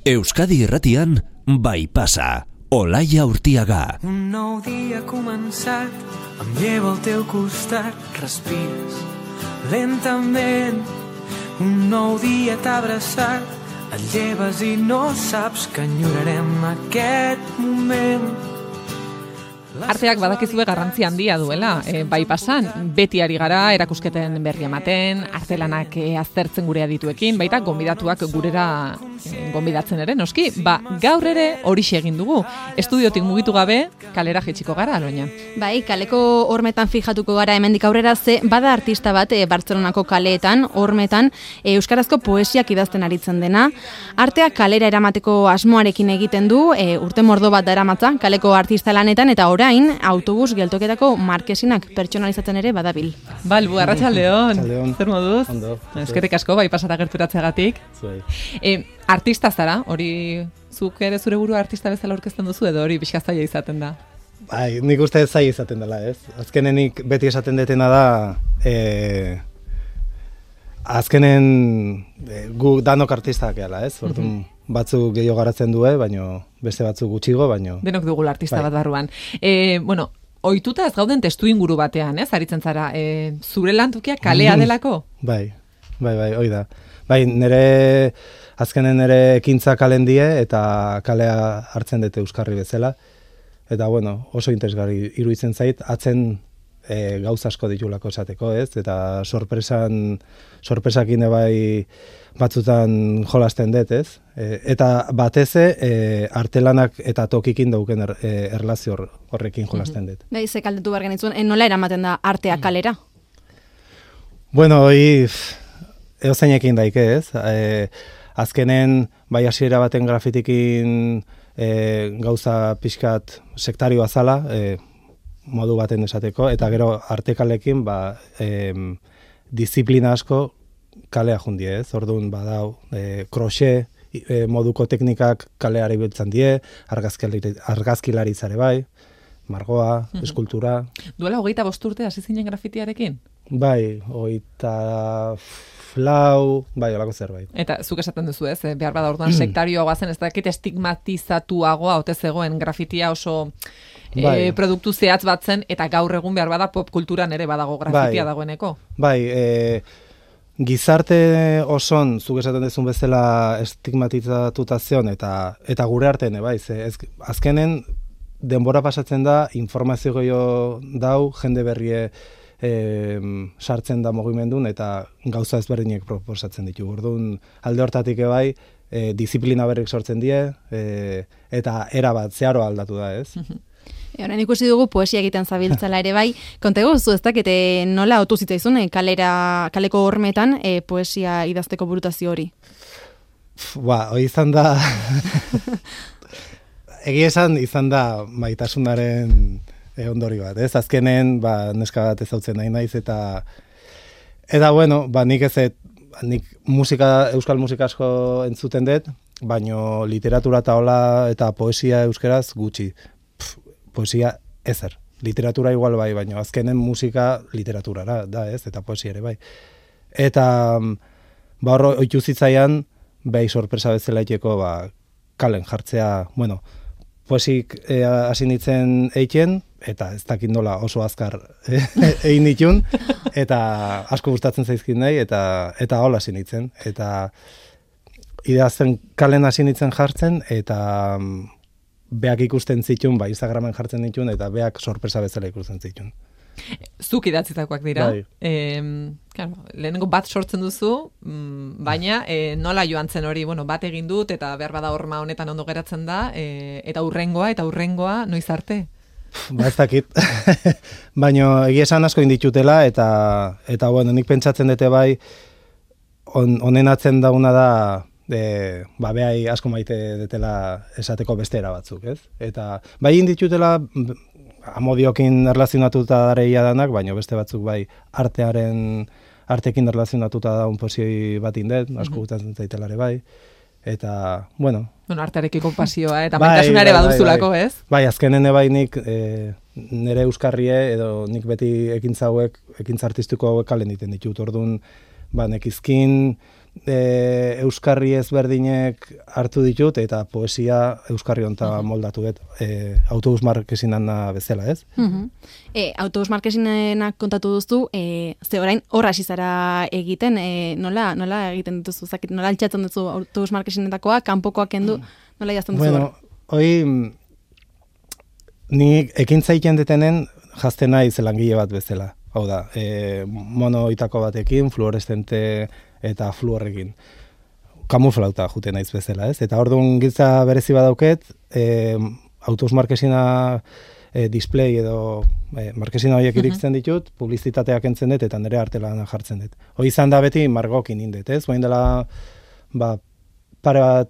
Euskadi Irratian, Bai Pasa, Olaia Urtiaga. Un nou dia ha començat, em llevo al teu costat, respires lentament. Un nou dia t'ha abraçat, et lleves i no saps que enyorarem aquest moment. Arteak badakizue garrantzi handia duela, bai pasan, beti ari gara erakusketen berri ematen, artelanak aztertzen gure adituekin, baita gonbidatuak gurera gonbidatzen ere, noski, gaur ere horixe egin dugu. Estudiotik mugitu gabe, kalera jaitsiko gara, Aloña. Bai, kaleko hormetan fijatuko gara hemendik aurrera, ze bada artista bat Bartzelonako kaleetan, hormetan, euskarazko poesiak idazten aritzen dena. Artea kalera eramateko asmoarekin egiten du, urte mordo bat daramatza, kaleko artista lanetan, eta orain autobus geltoketako markesinak pertsonalizatzen ere badabil. Balbu, arratsaldeon. Zer moduz? Ondo. Eskerrik asko, bai pasara gerturatzeagatik. Artista zara, hori zuk ere zure burua artista bezala aurkezten duzu edo hori pixka zaila izaten da? Bai, nik uste zaila izaten dela, ez? Azkenenik beti esaten detena da, azkenen gu danok artistak gehala, ez? Orduan, batzuk gehiago garatzen du, baino beste batzuk gutxigo, baino... Denok dugula artista bat barruan. Ohituta ez gauden testu inguru batean, ez? Aritzen zara, zure lantokia kalea delako? Bai, hoi da. Bai, azkenen nire ekintza kalen die eta kalea hartzen dute euskarri bezala. Eta, bueno, oso interesgarri iruditzen zait, atzen gauza asko ditulako esateko, ez? Eta sorpresakin bai batzutan jolasten dut, ez? Eta bateze artelanak eta tokikin dauken erlazio horrekin jolasten dut. Bai, ze kaldetu behar genitzuen, nola eramaten da artea kalera? Bueno, eozeinekin daike, ez? Azkenen, bai hasiera baten grafitikin gauza pixkat sektarioa zala, modu baten esateko, eta gero artekalekin disiplina asko kalea jundie, ez? Orduan badau, kroxe moduko teknikak kaleari biltzen die, argazkilaritzare bai, margoa, eskultura. Duela 25 urte hasi zinen grafitiarekin? Bai, 24, bai, olako zerbait. Eta zuk esaten duzu, ez? Behar bada orduan sektarioagoa zen, ez dakit estigmatizatuagoa ote zegoen grafitia oso produktu zehatz bat zen, eta gaur egun behar bada pop kulturan ere badago grafitia dagoeneko. Bai, gizarte oson, zuk esaten duzun bezala estigmatizatuta zion, eta gure artean, bai, azkenen denbora pasatzen da, informazio gehiago dau, jende berrie sartzen da mugimendun eta gauza ezberdinek proposatzen ditu. Orduan alde hortatik bai, disiplina berrik sortzen die, eta era bat zeharo aldatu da, ez? Horan ikusi dugu poesia egiten zabiltzala ere bai, konta egozu ez dakit nola otu zitzaizun kaleko hormetan poesia idazteko burutazio hori? Hori izan da... Egia izan da maitasunaren ondori bat, ez? Azkenen, neska bat ezautzen nahi naiz, eta bueno, nik euskal musika asko entzuten dut, baino literatura eta hola eta poesia euskeraz gutxi. Poesia ezer. Literatura igual bai, baino azkenen musika literaturara da, ez? Eta poesia ere bai. Eta hor oitu zitzaian, bai sorpresa bezala iteko kalen jartzea, bueno, poesik hasi nintzen eiken, eta ez dakit nola oso azkar egin ditun, eta asko gustatzen zaizkin nahi, eta hola hasi nintzen. Eta idazten kalen hasi nintzen jartzen, eta beak ikusten zitun, Instagramen jartzen ditun, eta beak sorpresa bezala ikusten zitun. Zuk idatzitakoak dira. Lehenengo bat sortzen duzu, baina nola joan zen hori, bat egin dut, eta behar bada horma honetan ondo geratzen da, eta hurrengoa, noiz arte? Ez dakit. Baina egia esan asko inditutela, eta bueno, nik pentsatzen dute bai, onenatzen dauna da, behai asko maite detela esateko bestera batzuk, ez? Eta bai inditutela, amodiokin erlazionatuta dareia danak, baina beste batzuk bai artekin erlazionatuta da un posio bat indet, asko gustatzen zaitelare bai. Eta, bueno... artearekiko pasioa, eta maitasunare baduzulako, ez? Bai, azkenen bai nik nire euskarrie, edo nik beti ekintza artistiko hauek kalen diten ditut. Orduan, nekizkin euskarri ezberdinek hartu ditut, eta poesia euskarri honta moldatu dut, autobus markesinan bezala, ez? Autobus markesinenak kontatu duzu, ze orain horra hasi zara egiten, nola egiten dituzu, nola altxatzen duzu autobus markesinetakoa, kanpokoak kendu, nola idazten duzu? Bueno, hoi, ni ekintza egiten detenen jazten naiz langile bat bezala. Hau da, monoitako batekin, fluoreszente eta fluorrekin. Kamuflauta juten naiz bezala, ez? Eta orduan giltza berezi badauket, autobus markesina display edo markesina horiek iriktzen ditut, publizitateak entzen dut eta nire artelana jartzen dut. Hoi izan da beti margokin indet, ez? Guain dela, pare bat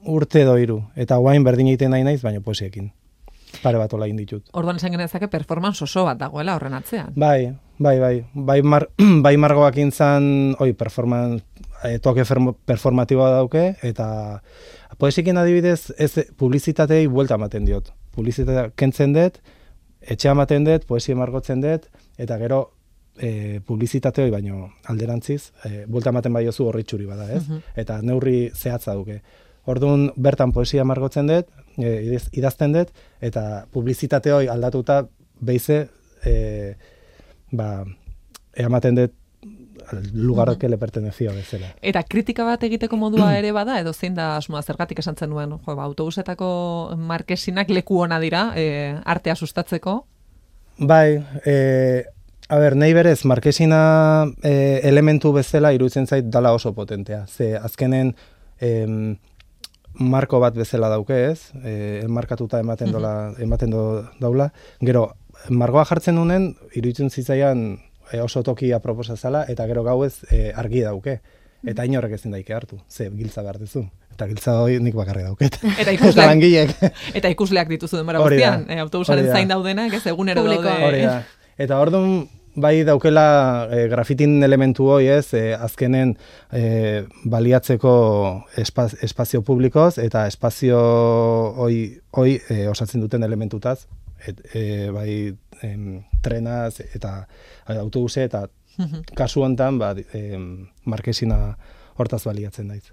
urte edo 3, eta guain berdin egiten nahi naiz, baina poesiekin. Pare bat ola inditut. Orduan esan genezake performance oso bat dagoela horren atzean. Bai margoak intzan, performance, toke performatiboa dauke, eta poesiekin adibidez, ez publizitatei buelta ematen diot. Publizitatea kentzen dut, etxea ematen dut, poesia margotzen dut, eta gero publizitate hori baino alderantziz, buelta ematen baiozu horritxuri bada, ez? Eta neurri zehatza duke. Orduan bertan poesia margotzen dut, idazten dut, eta publizitate hori aldatuta beize, ematen dut lugarok le pertenezio bezala. Eta kritika bat egiteko modua ere bada, edo zein da asmoa, zergatik esan zenuen, autobusetako markesinak leku ona dira, artea sustatzeko? Bai, nahi berez, markesina elementu bezala iruditzen zait dala oso potentea. Ze azkenen marko bat bezala dauke, ez? Enmarkatuta ematen daula. Gero, margoa jartzen nunen, iruditzen zitzaian oso toki aproposa zala, eta gero gauez argi dauke. Eta inorrek ezin daike hartu, ze giltza behar duzu. Eta giltza hori nik bakarri dauket. Eta ikusleak dituzu denbora guztian, autobusaren zain daudenak, ez egunero daude. Eta orduan, bai daukela grafitin elementu hoi, ez, azkenen baliatzeko espazio publikoz, eta espazio hoi osatzen duten elementutaz, bai trenaz eta autobuse, eta kasu honetan markesina hortaz baliatzen daiz.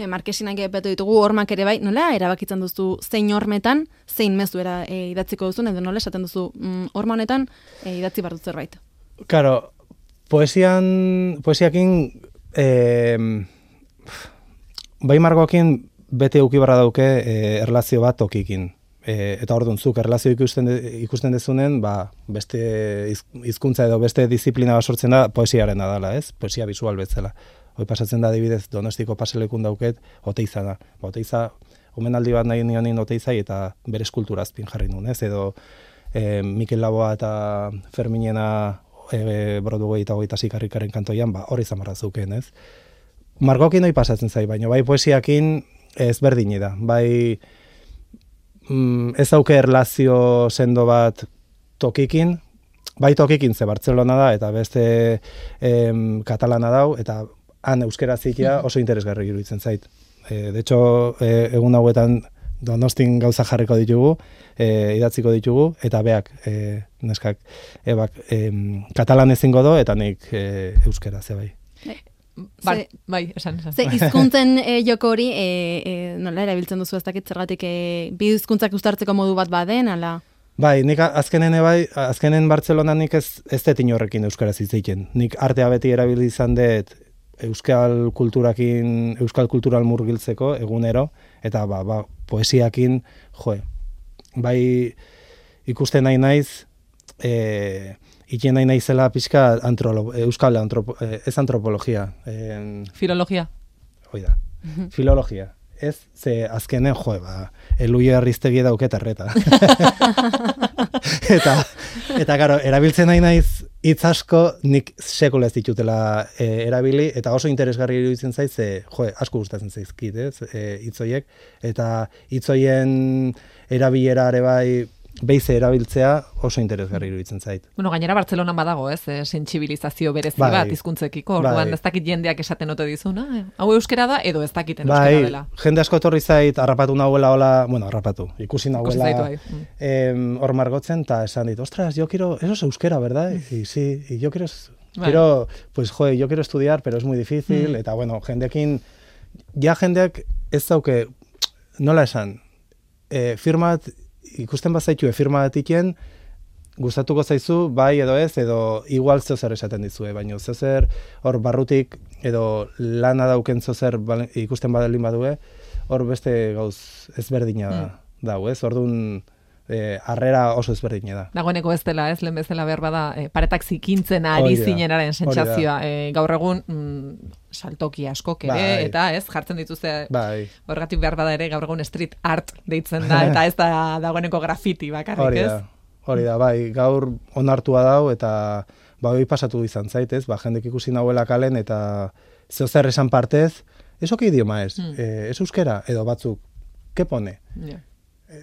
Markesinak epatu ditugu, hormak ere bai, nola erabakitzen duzu zein hormetan, zein mezu idatziko duzun, edo nola esaten duzu horma honetan idatzi behar dut zerbait? Karo, poesiakin bai margoakin bete euki barra dauke erlazio bat tokikin. Eta orduan zuk erlazio ikusten dezunen, beste hizkuntza edo beste disiplina bat sortzen da poesiaren dela, ez? Poesia visual bezala. Hoi pasatzen da adibidez Donostiko paselekun dauket Oteiza da. Oteiza, omenaldi bat nahi nionin Oteizai eta bere eskultura azpin jarri nuen, ez? Edo Mikel Laboa eta Ferminena Brodugoi eta Goita Sikarrikaren kantoian, hori zamarra zeuken, ez? Margokin hoi pasatzen zai, baina bai poesiakin ez berdini da. Bai ez dauke erlazio sendo bat tokikin, bai tokikin ze Bartzelona da, eta beste katalana dau, eta han euskera zikia oso interesgarri iruditzen zait. De hecho, egun hauetan Donostin gauza jarriko ditugu, idatziko ditugu, eta beak, neskak, katalan ezingo do, eta nik euskera, ze bai. Bai, esan. Ze hizkuntzen joko hori, nola erabiltzen duzu ez dakit zergatik bi hizkuntzak uztartzeko modu bat baden, ala? Bai, nik azkenen Bartzelonan nik ez dut inorrekin euskaraz hitz egiten. Nik artea beti erabili izan dut euskal kultural murgiltzeko egunero, eta poesiakin, bai ikusten nahi naiz, ikien nahi naizela pixka euskal ez antropologia. Filologia. Hoi da, filologia. Ez, ze azkenen, Eluia Arriztegi dauket erreta. Eta garo, erabiltzen nahi naiz hitz asko nik sekula ez ditutela erabili, eta oso interesgarri iruditzen zaiz, asko gustatzen zaizkit, ez, hitz horiek, eta hitz horien erabilera ere bai beize erabiltzea oso interesgarri iruditzen zait. Bueno, gainera Bartzelonan badago, ez, sentsibilizazio berezi bat hizkuntzekiko, orduan ez dakit jendeak esaten ote dizuna, hau euskera da edo ez dakiten euskera dela. Jende asko etorri zait harrapatu nahuela harrapatu, ikusi nahuela hor margotzen, eta esan dit, ostras, yo quiero, eso es euskera, ¿verdad? Y sí, y yo quiero Quiero, pues, yo quiero estudiar, pero es muy difícil, eta, bueno, jendekin, jendeak ez dauke, nola esan, firma bat, ikusten bazaitu firma bat iken, gustatuko zaizu, bai edo ez, edo igual zeozer esaten dizue, baina zeozer hor barrutik, edo lana dauken zeozer ikusten badalin badue, hor beste gauz ezberdina dau, ez? Orduan, harrera oso ezberdina da. Dagoeneko ez dela, ez, lehen bezala behar bada, paretak zikintzen ari zinenaren sentsazioa. Gaur egun, saltoki askok ere, eta ez, jartzen dituzte, horregatik behar bada ere, gaur egun street art deitzen da, eta ez da dagoeneko graffiti bakarrik, ez? Hori da, bai, gaur onartua dau, eta hori pasatu izan zait, ez? Jendek ikusi nahuela kalen, eta zeozer esan partez, eso que idioma ez? Ez euskera, edo batzuk, ¿qué pone?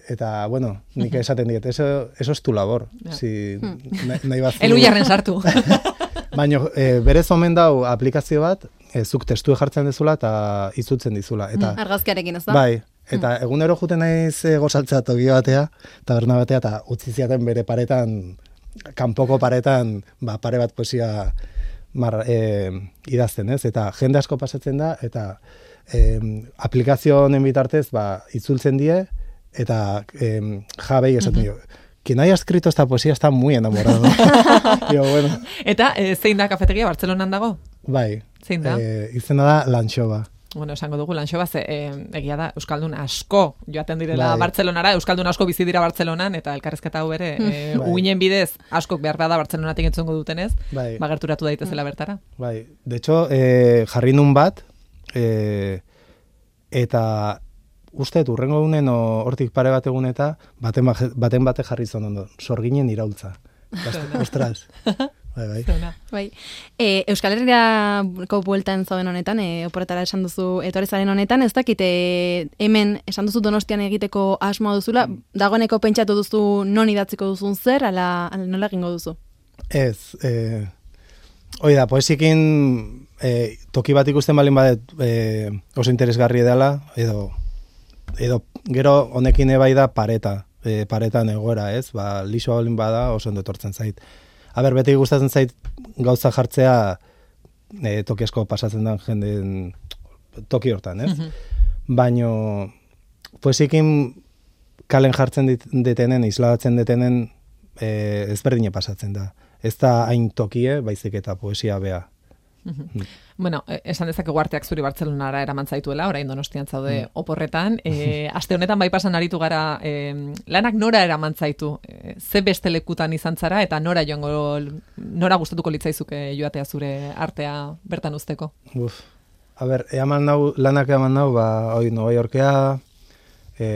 Eta, bueno, nik esaten diet, eso es tu labor. Si, nahi batzu... Elu jarren sartu. Baina, berez omen dau aplikazio bat, zuk testu jartzen dezula eta izutzen dizula. Argazkiarekin, ez da? Bai, eta egunero juten naiz gozaltzea toki batea, taberna batea, eta utzi ziaten bere paretan, kanpoko paretan, pare bat poesia idazten, ez? Eta jende asko pasatzen da, eta aplikazio honen bitartez, itzultzen die, eta jabei esaten dio, quien haya escrito esta poesía está muy enamorado. Digo, bueno. Eta zein da kafetegia Bartzelonan dago? Bai. Zein da? Izena da Lantxoba. Bueno, esango dugu Lantxoba, egia da, Euskaldun asko joaten direla Bartzelonara, Euskaldun asko bizi dira Bartzelonan, eta elkarrezketa hau ere, uinen bidez, askok behar bada Bartzelonatik entzongo dutenez, gerturatu daitezela bertara. Bai, de hecho, jarri nun bat, eta uste, urrengo egunen hortik pare bat egun eta baten bate jarri zon ondo, sorginen iraultza. Ostras. Bai. Euskal Herriako bueltan zauden honetan, oporretara esan duzu etorezaren honetan, ez dakit hemen esan duzu Donostian egiteko asmoa duzula, dagoeneko pentsatu duzu non idatziko duzun zer, ala nola egingo duzu? Ez, hoi da, poesikin toki bat ikusten balin badet oso interesgarri dela, edo gero honekin ebai da paretan egoera, ez? Lixoa balin bada oso ondo etortzen zait. Aber, beti gustatzen zait gauza jartzea toki asko pasatzen den jenden toki hortan, ez? Baino, poesikin kalen jartzen detenen, isladatzen detenen ezberdine pasatzen da. Ez da hain tokie, baizik eta poesia bea. Bueno, esan dezakegu arteak zuri Bartzelonara eraman zaituela, orain Donostian zaude oporretan. Aste honetan bai pasan aritu gara, lanak nora eraman zaitu? Ze beste lekutan izan zara eta nora nora gustatuko litzaizuke joatea zure artea bertan uzteko? A ber, lanak eman nau, Nova Yorkea,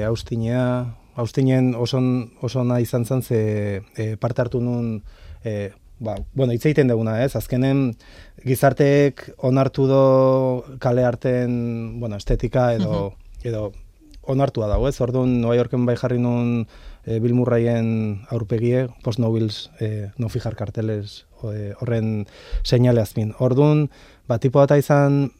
Austinen oso nahi izan zen, ze parte hartu nun, hitz egiten duguna, ez? Azkenen gizarteek onartu do kale arten, estetika edo onartua dago, ez? Orduan, Nova Yorken bai jarri nun Bill Murrayen aurpegie, post-nobils, no fijar karteles, horren seinale azpin. Orduan, tipo bat izan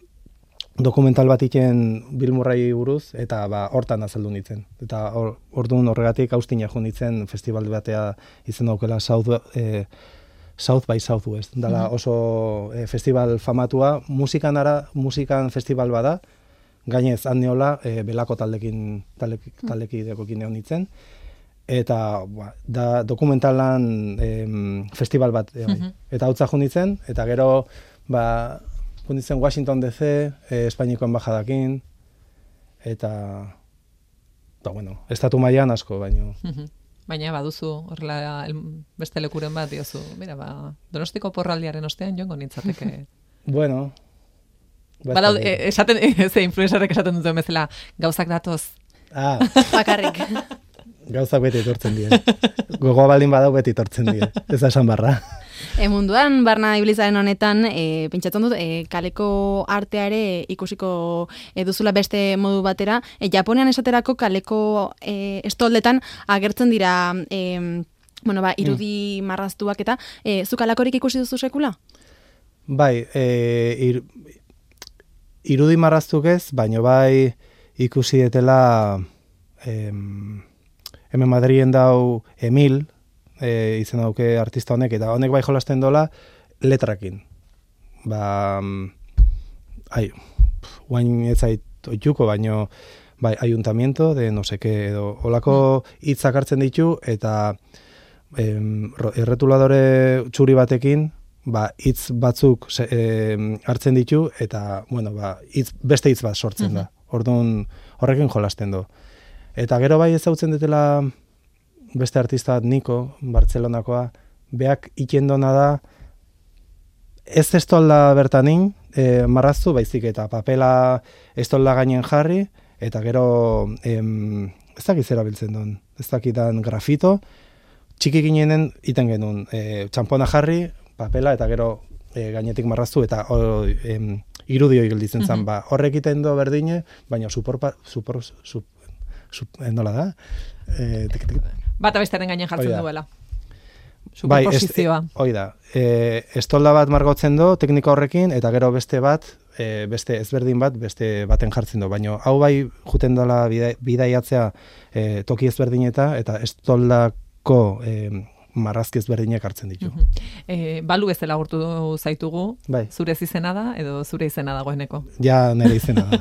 dokumental bat iken Bill Murray buruz, eta hortan azaldu nintzen. Eta orduan horregatik Austina jo nintzen festival batea izen daukela South by Southwest. Dala oso festival famatua, musikan festival bada, gainez hanneola belako taldekidekokin egon nintzen, eta da dokumentalan festival bat. Eta hautza jo nintzen, eta gero jo nintzen Washington DC, Espainiko embajadakin, eta estatu mailan asko, baino. Baina baduzu horrela beste lekuren bat diozu. Mira, Donostiko porraldiaren ostean joango nintzateke. Bueno. Ze influencerrek esaten duten bezala, gauzak datoz. Bakarrik. Gauzak beti etortzen die. Gogoa baldin badau beti etortzen die. Ez da esan barra. Munduan, barna ibilizaren honetan, pentsatzen dut, kaleko arteare ikusiko duzula beste modu batera. Japonean esaterako kaleko estoldetan agertzen dira irudi marraztuak eta zuk alakorik ikusi duzu sekula? Bai, irudi marraztuk ez, baino bai ikusi detela hemen Madrien dau Emil, izen dauke artista honek, eta honek bai jolasten dola, letrakin. Guain ez zait oituko, baino bai, ayuntamiento de no sé qué, edo olako hitzak hartzen ditu, eta erretuladore txuri batekin, hitz batzuk hartzen ditu, eta, bueno, beste hitz bat sortzen da. Orduan, horrekin jolasten du. Eta gero bai ezautzen dutela beste artista bat, Niko, Bartzelonakoa, beak ikendona da, ez estolda bertanin, marraztu, baizik eta papela estolda gainen jarri, eta gero, ez dakit zera biltzen duen, ez dakitan grafito, txiki ginenen iten genuen, txampona jarri, papela, eta gero gainetik marraztu, eta irudio gelditzen zen, horrek iten du berdine, baina nola da? Bata bestearen gainen jartzen duela. Superposizioa. Hoi da. Estolda bat margotzen du teknika horrekin, eta gero beste bat, beste ezberdin bat, beste baten jartzen du. Baina hau bai juten dela bidaiatzea toki ezberdineta, eta estoldako marrazki ezberdinak hartzen ditu. Balu bezala agurtu zaitugu, zure izena da, edo zure izena dagoeneko? Ja, nire izena da.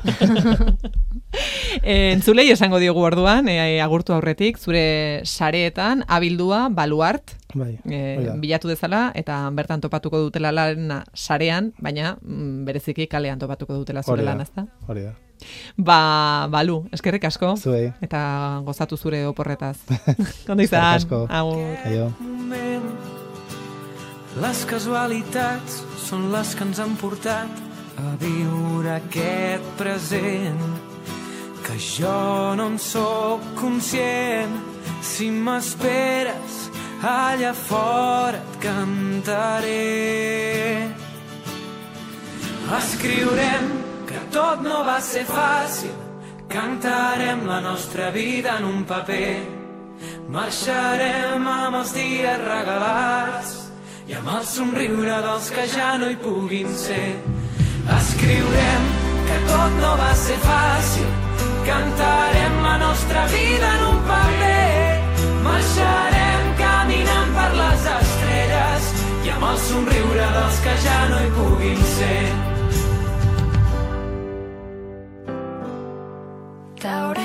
Entzulei esango diogu orduan, agurtu aurretik, zure sareetan, abildua, baluart, bilatu dezala, eta bertan topatuko dutela lan sarean, baina bereziki kalean topatuko dutela zure lan, ezta? Hori da. Balu, eskerrik asko. Zuei. Eta gozatu zure oporretaz. Kondo izan. Eskerrik asko. Les casualitats són les que ens han portat a viure aquest present, que jo no en sóc conscient. Si m'esperes allà fora et cantaré. Escriurem que tot no va ser fàcil, cantarem la nostra vida en un paper, marxarem amb els dies regalats i amb el somriure dels que ja no hi puguin ser. Escriurem que tot no va ser fàcil, cantarem la nostra vida en un paper, marxarem caminant per les estrelles i amb el somriure dels que ja no hi puguin ser. T'haurà